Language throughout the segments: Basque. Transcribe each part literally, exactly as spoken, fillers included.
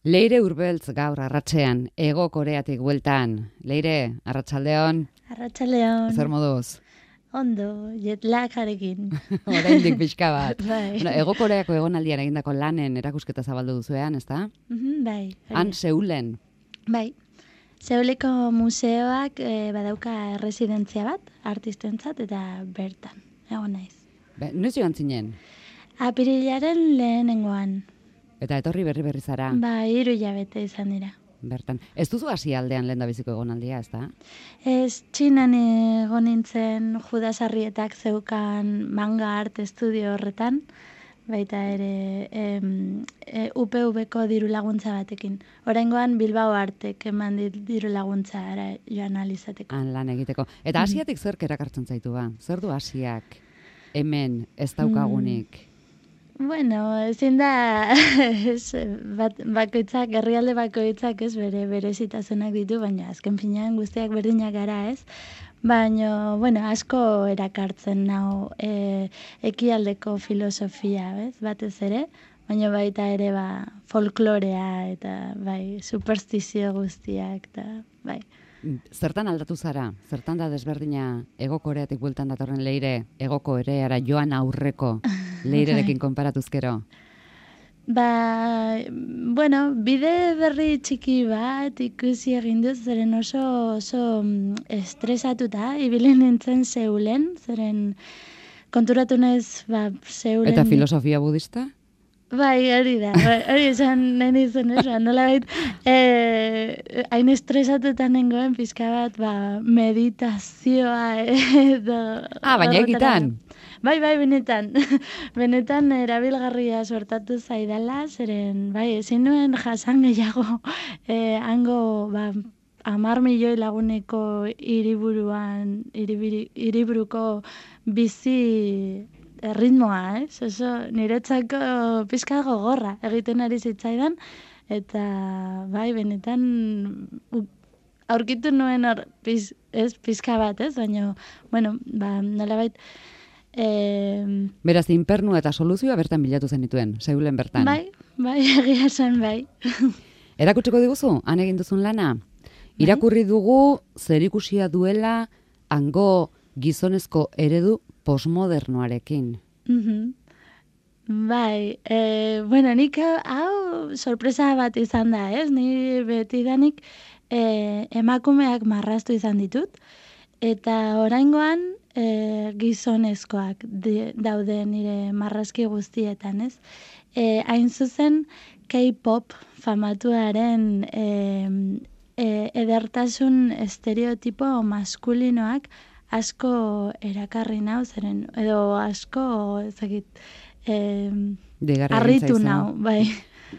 Leire Urbeltz gaur arratsean, Hego Koreatik bueltan. Leire, arratsaldeon. Arratsaldeon. Zer moduz? Ondo, jetlagarekin. Oraindik pixka bat. Bai. Bueno, Hego Koreako egonaldian egindako lanen erakusketa zabaldu duzuean, ezta? Mhm, bai. Han Seulen. Bai. Seuleko museoak e, badauka erresidentzia bat, artistentzat, eta bertan. Egon naiz. Be, noiz joan zinen? Apirilaren lehenengoan. Eta etorri berri berri zara. Ba, hiru hilabete izan dira. Bertan. Ez duzu hasi aldean lehendabiziko egonaldia, ezta? Ez, Txinan egon nintzen Judas Arrietak zeukan manga art estudio horretan, baita ere em, e, U P V-ko diru laguntza batekin. Oraingoan Bilbao Artek eman dit diru laguntza ara joan alizateko. Han lan egiteko. Eta Asiatik zerk erakartzen zaitu ba? Zer du Asiak hemen ez daukagunik? Bueno, ezin da ez, bat, bakoitzak, herrialde bakoitzak ez bere berezitasunak ditu, baina azken finean guztiak berdinak gara ez. Baina, bueno, asko erakartzen nau e, ekialdeko filosofia, bez, batez ere, baina baita ere ba, folklorea eta bai, superstizio guztiak eta bai. Zertan aldatu zara? Zertan da desberdina Hego Koreatik bueltan datorren Leire, Hego Koreara joan aurreko Leirerekin konparatuzkero? Ba, bueno, bide berri txiki bat ikusi egin dut, zeren oso, oso estresatuta, ibili nintzen Seulen, zeren konturatu naiz, ba, Seulen... Eta filosofia budista? Bai, hori da, hori esan nahi zen esan, nola bait, eh, hain estresatuta nengoen pizka bat, ba, meditazioa edo... Ah, baina egitan? Bai, bai, benetan, benetan erabilgarria sortatu zaidala, zeren, bai, ezin nuen jasan gehiago, eh, hango, ba, amar milioi laguneko hiriburuan, hiriburuko bizi... ritmoa, ez? Oso niretzako pizka gogorra egiten ari zitzaidan, eta bai, benetan u, aurkitu nuen hor, piz, ez, pizka bat, ez? Baina, bueno, ba, nolabait... E... Beraz, inpernu eta soluzioa bertan bilatu zenituen, Seulen bertan. Bai, bai, egia esan bai. Erakutsiko diguzu, han egin duzun lana? Irakurri dugu zerikusia duela hango gizonezko eredu posmodernoarekin. Mm-hmm. Bai, e, bueno, nik hau sorpresa bat izan da, ez? Ni betidanik e, emakumeak marraztu izan ditut, eta oraingoan e, gizonezkoak di, daude nire marrazki guztietan, ez? E, hain zuzen K-pop famatuaren e, e, edertasun estereotipo maskulinoak asko erakarri nau, zeren, edo asko, ezagit, eh, harritu nau, bai.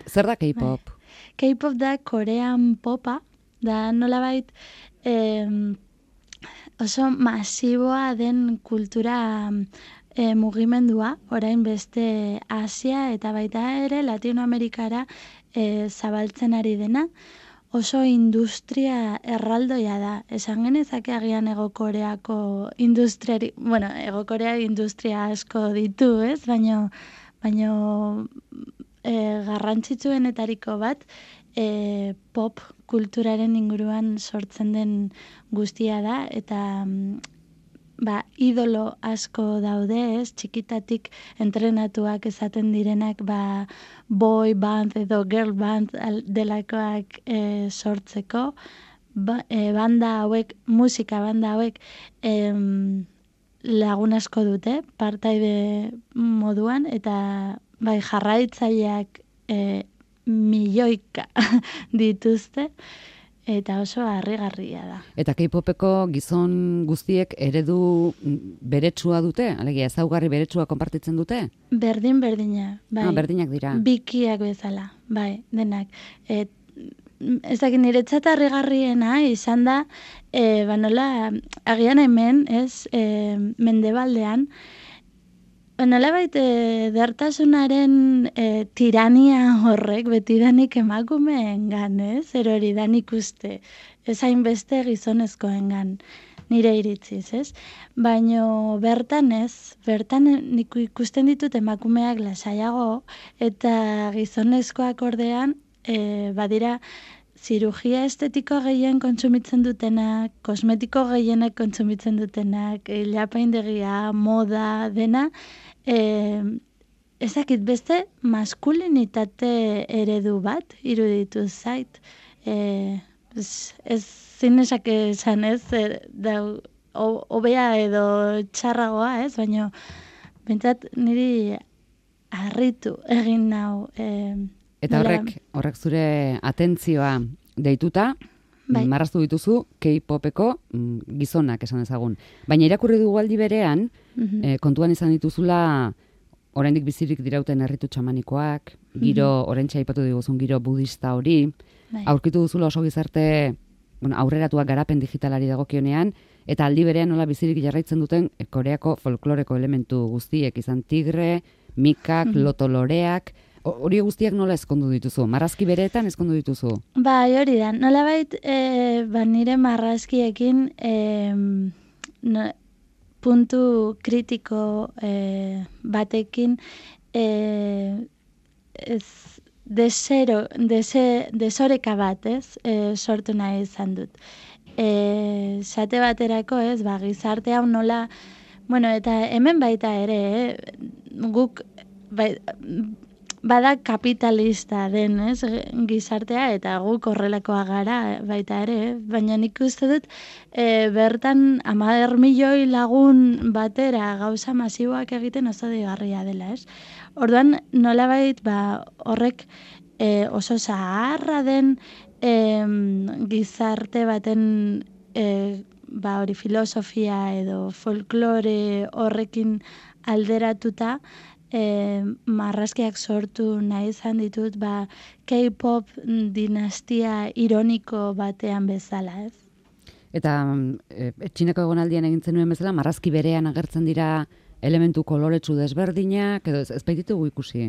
Zer da K-pop? Bai. K-pop da korean popa, da nolabait eh, oso masiboa den kultura eh, mugimendua, orain beste Asia eta baita ere Latinoamerikara eh, zabaltzen ari dena, oso industria erraldoia da. Esan genezake agian Hego Koreako industriari, bueno, Hego Korea industria asko ditu, ez? Baina baino, e, garrantzitsuenetariko bat e, pop kulturaren inguruan sortzen den guztia da, eta ba, idolo asko daude, ez? Txikitatik entrenatuak esaten direnak, ba, boy band edo girl band delakoak e, sortzeko, ba, e, banda hauek, musika banda hauek em, lagun asko dute, partaide moduan, eta bai, jarraitzaileak e, milioika dituzte, eta oso harrigarria da. Eta K-popeko gizon guztiek eredu beretsua dute? Alegia, ezaugarri beretsua konpartitzen dute? Berdin, berdina. Bai. Ah, berdinak dira. Bikiak bezala, bai, denak. Et, ez dakit niretzat harrigarriena izan da, e, banola, agian hemen, ez, e, mendebaldean, nolabait e, dertasunaren e, tirania horrek betidanik emakumeengan, ez? Erori dan ikuste, ez hainbeste gizonezkoengan, nire iritziz, ez? Baina bertan ez, bertan nik ikusten ditut emakumeak lasaiago, eta gizonezkoak ordean e, badira, zirugia estetiko gehien kontsumitzen dutenak, kosmetiko gehienek kontsumitzen dutenak, ilapaindegia, moda, dena, e, ezakit beste maskulinitate eredu bat iruditu zait. E, ez, ez zinesak esan ez, e, da, hobea edo txarragoa ez, baina bentsat niri harritu egin nau. E, Eta horrek, horrek zure atentzioa deituta, bai. Marraztu dituzu K-popeko gizonak esan ezagun. Baina irakurri dugu aldi berean, mm-hmm. eh, kontuan izan dituzula oraindik bizirik dirauten herritu txamanikoak, giro, mm-hmm. oraintxe aipatu diguzun giro budista hori, bai. Aurkitu duzula oso gizarte bueno, aurreratuak garapen digitalari dagokionean, eta aldi berean nola bizirik jarraitzen duten Koreako folkloreko elementu guztiek, izan tigre, mikak, mm-hmm. lotoloreak. Hori guztiak nola ezkondu dituzu? Marrazki bereetan ezkondu dituzu? Bai, hori da. Nolabait, e, ba, nire marrazkiekin e, no, puntu kritiko e, batekin e, ez, desero, dese, desoreka bat, ez? E, sortu nahi izan dut. E, sate baterako, ez? Ba, gizarte hau nola... Bueno, eta hemen baita ere, eh? Guk... Bai, bada kapitalista den, ez, gizartea, eta guk horrelakoa gara baita ere, eh? Baina nik uste dut e, bertan hamar milioi lagun batera gauza masiboak egiten oso digarria dela, ez? Orduan, nolabait, ba, horrek e, oso zaharra den e, gizarte baten e, ba, hori filosofia edo folklore horrekin alderatuta, E, marrazkiak sortu nahi izan ditut, ba, K-pop dinastia ironiko batean bezala, ez? Eta e, txineko egonaldian egintzen nuen bezala, marrazki berean agertzen dira elementu koloretsu desberdinak, edo ez, ez baititugu ikusi?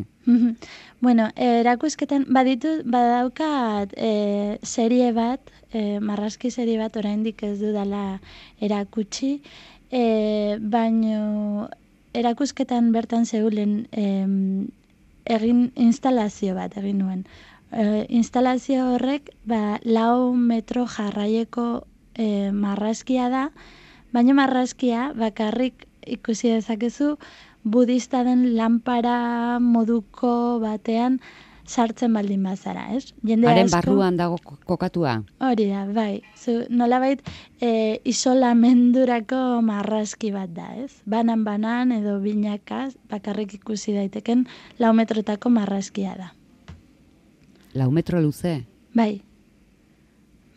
Bueno, erakusketan, baditu, badaukat e, serie bat, e, marrazki serie bat oraindik ez dudala erakutsi, e, baino... Erakusketan bertan zeulen em, egin instalazio bat egin nuen. E, instalazio horrek ba, lau metro jarraieko e, marrazkia da, baina marrazkia bakarrik ikusi dezakezu budista den lanpara moduko batean sartzen baldin bazara, ez? Jende Haren asko, barruan dago kokatua? Hori da, bai. Zu, nolabait e, isolamendurako marrazki bat da, ez? Banan-banan edo binakaz bakarrik ikusi daiteken lau metrotako marrazkia da. Lau metro luze? Bai.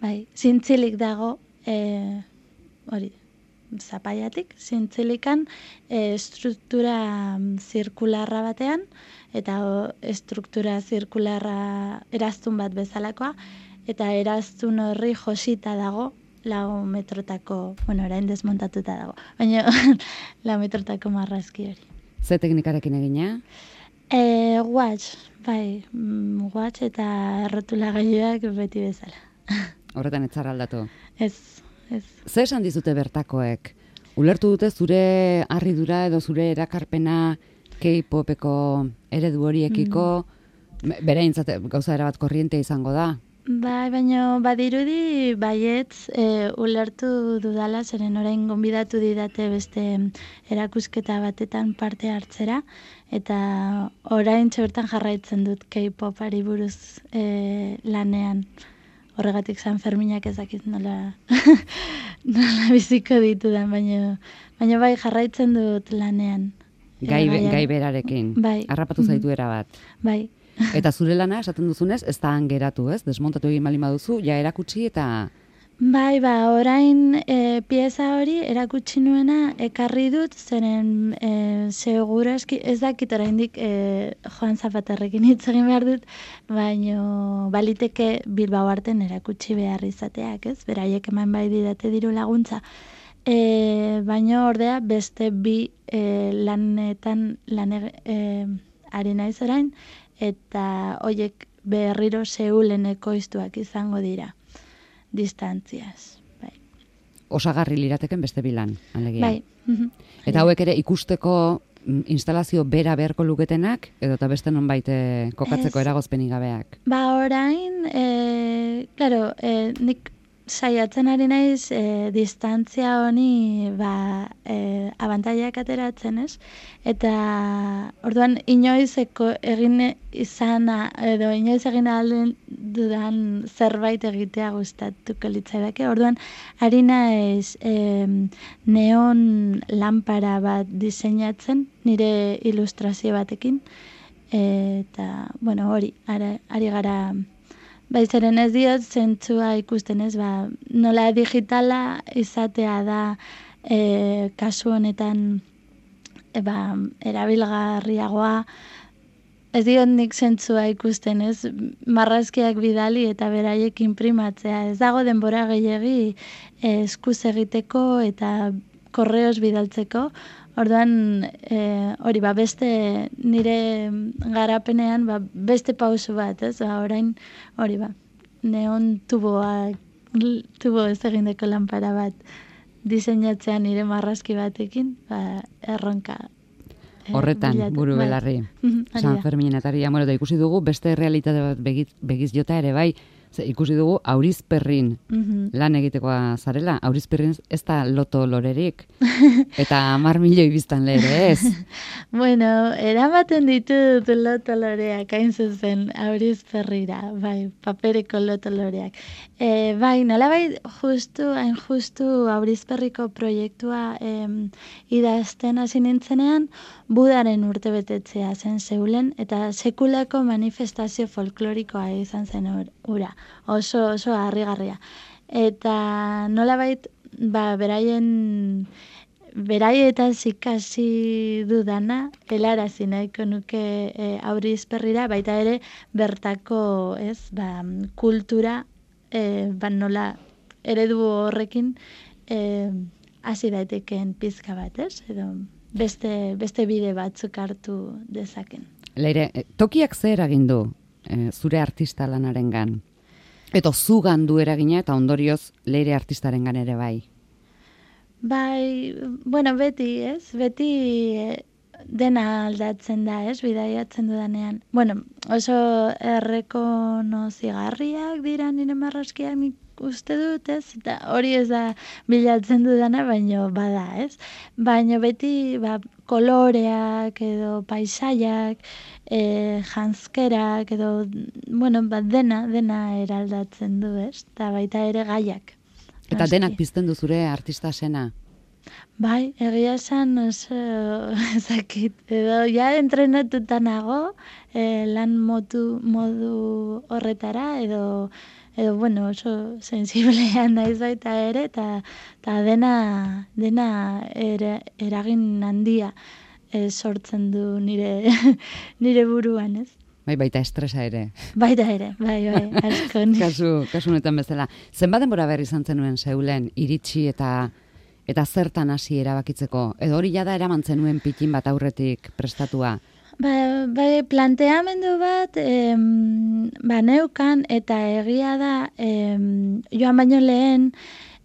Bai, zintzilik dago, e, hori, zapaiatik, zintzilikan e, struktura zirkularra batean, eta o, struktura zirkularra eraztun bat bezalakoa, eta eraztun horri josita dago, lau metrotako, bueno, orain desmontatuta dago, baina lau metrotako marrazki hori. Ze teknikarekin egina? E, watch, bai, mm, watch eta errotulagailuak beti bezala. Horretan etzara aldatu? Ez, ez. Ze esan dizute bertakoek? Ulertu dute zure harridura edo zure erakarpena K-popeko eredu horiekiko, mm. bereintzat gauza erabat korriente izango da? Bai, baina badirudi baietz e, ulertu dudala, zeren orain gonbidatu didate beste erakusketa batetan parte hartzera, eta orain txertan jarraitzen dut K-popari buruz e, lanean. Horregatik San Ferminak ezakit nola, nola biziko ditudan, baina, baina bai jarraitzen dut lanean. Gai, gai berarekin, bai. Harrapatu zaitu erabat. Bai. Eta zure lana, esaten duzunez, ez da geratu, ez? Desmontatu egin baldin baduzu, ja erakutsi eta... Bai, ba, orain e, pieza hori erakutsi nuena ekarri dut, zeren e, seguraski ez dakit oraindik e, Joan Zapaterrekin hitz egin behar dut, baino baliteke Bilbao arten erakutsi behar izateak, ez? Beraiek eman bai didate diru laguntza. E, baino ordea beste bi e, lanetan lan e, ari naiz orain, eta hoiek berriro Seulen ekoiztuak izango dira. Distantziaz, bai. Osagarri lirateken beste bilan, alegia. Bai. Eta hauek ere ikusteko instalazio bera beharko luketenak, edo eta beste nonbait kokatzeko Ez. eragozpenik gabeak? Ba, orain, e, claro, e, nik saiatzen ari naiz e, distantzia honi ba, e, abantaiak ateratzen, ez? Eta orduan inoiz eko, egin izana, edo inoiz egin ahal dudan zerbait egitea gustatuko litzaidake. Orduan, ari naiz e, neon lanpara bat diseinatzen, nire ilustrazio batekin, eta, bueno, hori, ara, ari gara... Baizaren ez diot, zentzua ikusten ez, ba, nola digitala izatea da e, kasu honetan e, ba, erabilgarriagoa, ez diot nik zentzua ikusten ez, marrazkiak bidali eta beraiek inprimatzea, ez dago denbora gehiegi e, eskuz egiteko eta korreos bidaltzeko. Orduan, e, hori, ba, beste nire garapenean, ba, beste pausu bat, ez? Ba, orain, hori, ba, neon tuboa, tubo ez egindeko lanpara bat diseinatzea nire marrazki batekin, ba, erronka. E, Horretan, bilatu. buru belarri. Bai. San Ferminen ataria, bueno, da ikusi dugu, beste realitate bat begiz, begiz jota ere bai, ze, ikusi dugu aurizperrin Mhm. lan egitekoa zarela, aurizperrin ez da loto lorerik, eta hamar milioi biztan lehre ez. Bueno, eramaten ditut loto loreak, hain zuzen, aurizperrira, bai, papereko loto loreak. E, bai, nola bai, justu, hain justu aurizperriko proiektua em, idazten hasi nintzenean, Budaren urtebetetzea zen Seulen, eta sekulako manifestazio folklorikoa izan zen ura. Oso, oso harrigarria. Eta nolabait, ba, beraien, beraietaz ikasi dudana, helarazi nahiko nuke e, aurizperrira, baita ere bertako, ez, ba, kultura, e, ba, nola eredu horrekin e, hasi daitekeen pizka bat, ez, edo beste, beste bide batzuk hartu dezaken. Leire, tokiak ze eragin du e, zure artista lanarengan? Eta zugan du eragina eta ondorioz leire artistarengan ere bai. Bai, bueno, beti, ez? Beti eh, dena aldatzen da, ez? Bidaiatzen dudanean. Bueno, oso errekonozigarriak dira nire marrazkiak nik uste dut, ez? Eta hori ez da bilatzen dudana, baino bada, ez? Baino beti, ba, koloreak edo paisaiak, e, janzkerak edo, bueno, ba, dena, dena eraldatzen du, ez? Eta baita ere gaiak. Eta Noski. denak pizten du zure artista sena. Bai, egia esan oso ezakit. Edo ja entrenatuta nago eh, lan motu, modu horretara, edo, edo bueno, oso sensiblea naiz baita ere, eta ta dena, dena ere, eragin handia eh, sortzen du nire, nire buruan, ez? Bai, baita estresa ere. Baita ere, bai, bai, asko. kasu, kasu honetan bezala. Zenbat denbora behar izan zenuen Seulen iritsi eta eta zertan hasi erabakitzeko? Edo hori jada eraman zenuen pitin bat aurretik prestatua? Ba, bai, planteamendu bat em, ba, neukan eta egia da em, joan baino lehen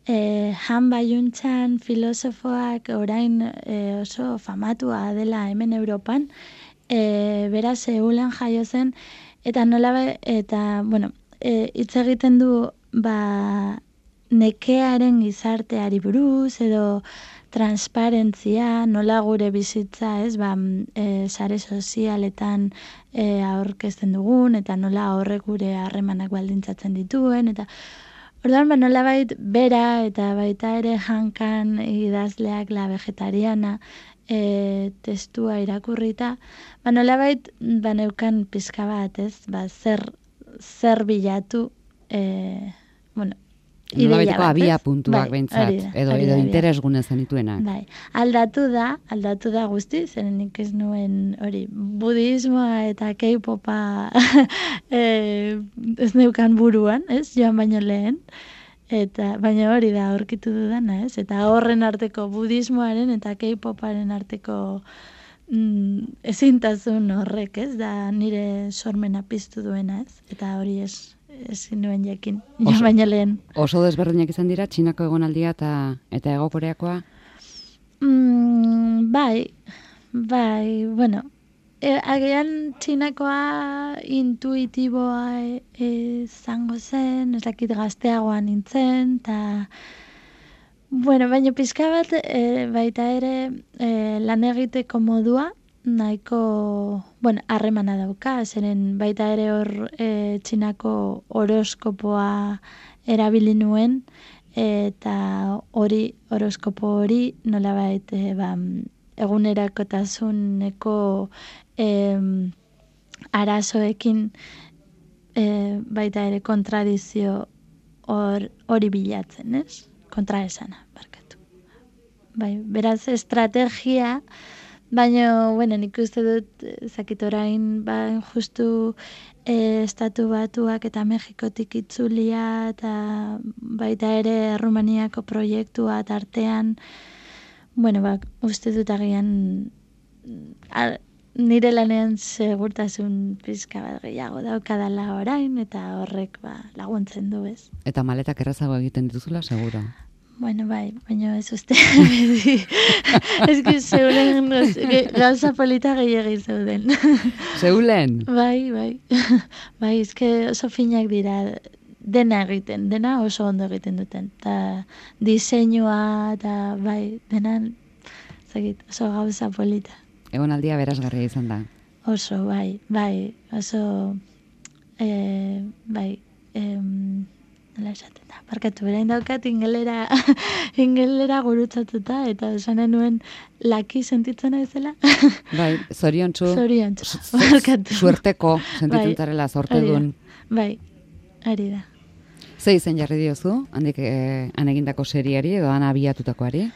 e, Han Bayuntzan filosofoak orain e, oso famatua dela hemen Europan, e, bera Seulen jaio zen, eta nola ba- eta, bueno, e, hitz egiten du ba, nekearen gizarteari buruz, edo transparentzia, nola gure bizitza, ez, ba, e, sare sozialetan e, aurkezten dugun, eta nola horrek gure harremanak baldintzatzen dituen, eta orduan, ba, nolabait bera eta baita ere Hankan idazleak La Vegetariana e, testua irakurrita, ba, nolabait ba, neukan pizka bat, ez, ba, zer, zer bilatu, e, bueno, Nolabaiteko bat, abia ez? puntuak Bai, behintzat, hori da, edo, hori edo da, hori da. interesgune zenituenak. Bai, aldatu da, aldatu da guzti, zeren nik ez nuen hori, budismoa eta K-popa e, ez neukan buruan, ez, joan baino lehen, eta baina hori da aurkitu dudana, ez, eta horren arteko budismoaren eta K-poparen arteko mm, ezintasun horrek, ez, da nire sormena piztu duena, ez, eta hori ez, ezin nuen jakin, joan Oso- baino lehen. Oso desberdinak izan dira, Txinako egonaldia eta eta Hego Koreakoa? Mm, bai, bai, bueno, e, agian txinakoa intuitiboa izango zen, ez dakit gazteagoan nintzen, eta bueno, baina pizka bat e, baita ere e, lan egiteko modua, nahiko, bueno, harremana dauka, zeren baita ere hor e, txinako horoskopoa erabili nuen, eta hori, horoskopo hori, nolabait, e, ba, egunerakotasuneko e, arazoekin e, baita ere kontradizio hor, hori bilatzen, ez? Kontraesana, barkatu. Bai, beraz, estrategia, baina, bueno, nik uste dut, zakit orain, ba, justu e, Estatu Batuak eta Mexikotik itzulia, eta baita ere Rumaniako proiektua tartean, bueno, ba, uste dut agian a, nire lanean segurtasun pizka bat gehiago daukadala orain, eta horrek ba, laguntzen du, ez. Eta maletak errazago egiten dituzula, seguro? Bueno, bai, baina ez uste. Ez que zeulen gauza polita gehiagin zeuden. Zeulen? Bai, bai. Bai, ez que oso finak dira dena egiten, dena oso ondo egiten duten. Eta diseinua, eta bai, dena zagit, oso gauza polita. Egon aldia berazgarria izan da. Oso, bai, bai, oso, e, bai, em, nola esaten da, barkatu, berain daukat ingelera, ingelera gurutzatuta, eta esanen nuen laki sentitzen aizela. Bai, zoriontsu. Zoriontsu, barkatu. Suerteko sentitzen zarela zortedun. Bai, ari da. Ze izen jarri diozu, handik eh, anegindako seriari edo han abiatutakoari?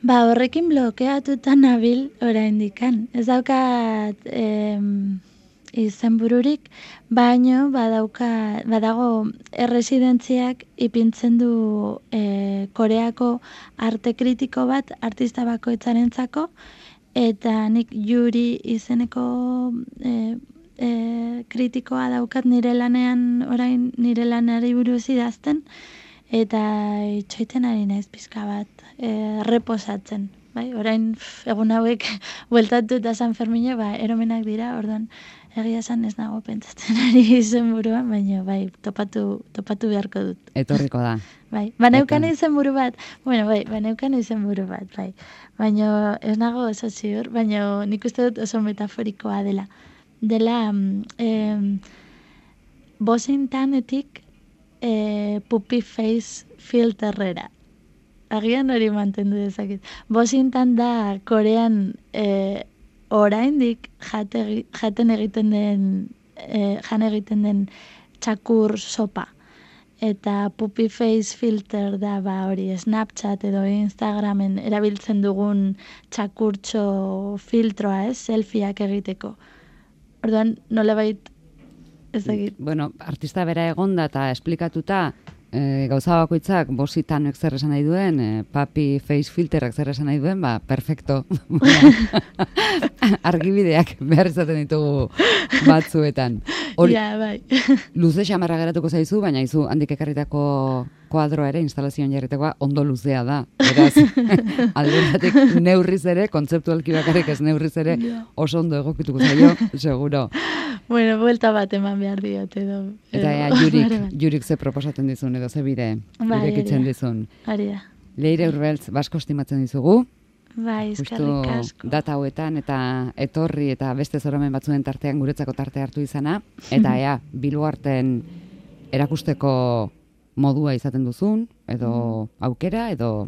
Ba, horrekin blokeatuta nabil oraindikan. Ez daukat em, izenbururik, baino badauka, badago erresidentziak ipintzen du e, Koreako arte kritiko bat artista bakoitzarentzako, eta nik Yuri izeneko e, e, kritikoa daukat nire lanean, orain nire lanari buruz idazten, eta itxoiten ari naiz pizka bat e, reposatzen. Bai, orain pff, egun hauek bueltatu eta San Fermine, ba, eromenak dira, orduan egia esan ez nago pentsatzen ari izenburuan, baina bai, topatu, topatu beharko dut. Etorriko da. Bai, baneukan izenburu bat, bueno, bai, baneukan izenburu bat, bai. Baina ez nago oso ziur, baina nik uste dut oso metaforikoa dela. Dela, eh, bozintanetik eh, puppy face filterrera. Agian hori mantendu dezakit. Bozintan da Korean eh, oraindik jate, jaten egiten den eh, jan egiten den txakur sopa. Eta puppy face filter da ba hori Snapchat edo Instagramen erabiltzen dugun txakurtxo filtroa, ez, selfieak egiteko. Orduan nolabait ez dakit. Bueno, artista bera egonda eta esplikatuta E, gauza bakoitzak bositanek zer esan nahi duen, e, papi face filterak zer esan nahi duen, ba, perfecto. Argibideak behar izaten ditugu batzuetan. Hor, ja, bai. Luze xamarra geratuko zaizu, baina izu handik ekarritako kuadroa ere, instalazioan jarritakoa, ondo luzea da. Beraz, alderatik neurriz ere, kontzeptualki bakarrik ez neurriz ere, oso ondo egokituko zaio, seguro. Bueno, buelta bat eman behar diot edo. Eta ea, jurik, jurik ze proposatzen dizun edo ze bide irekitzen dizun. Hori da. Leire Urbeltz, basko estimatzen dizugu. Bai, eskerrik asko. Data hauetan eta etorri eta beste zoromen batzuen tartean guretzako tarte hartu izana. Eta ea, Bilboarten erakusteko modua izaten duzun, edo aukera, edo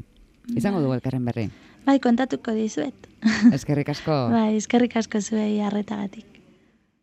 izango dugu elkarren berri. Bai, kontatuko dizuet. Eskerrik asko. Bai, eskerrik asko zuei arretagatik.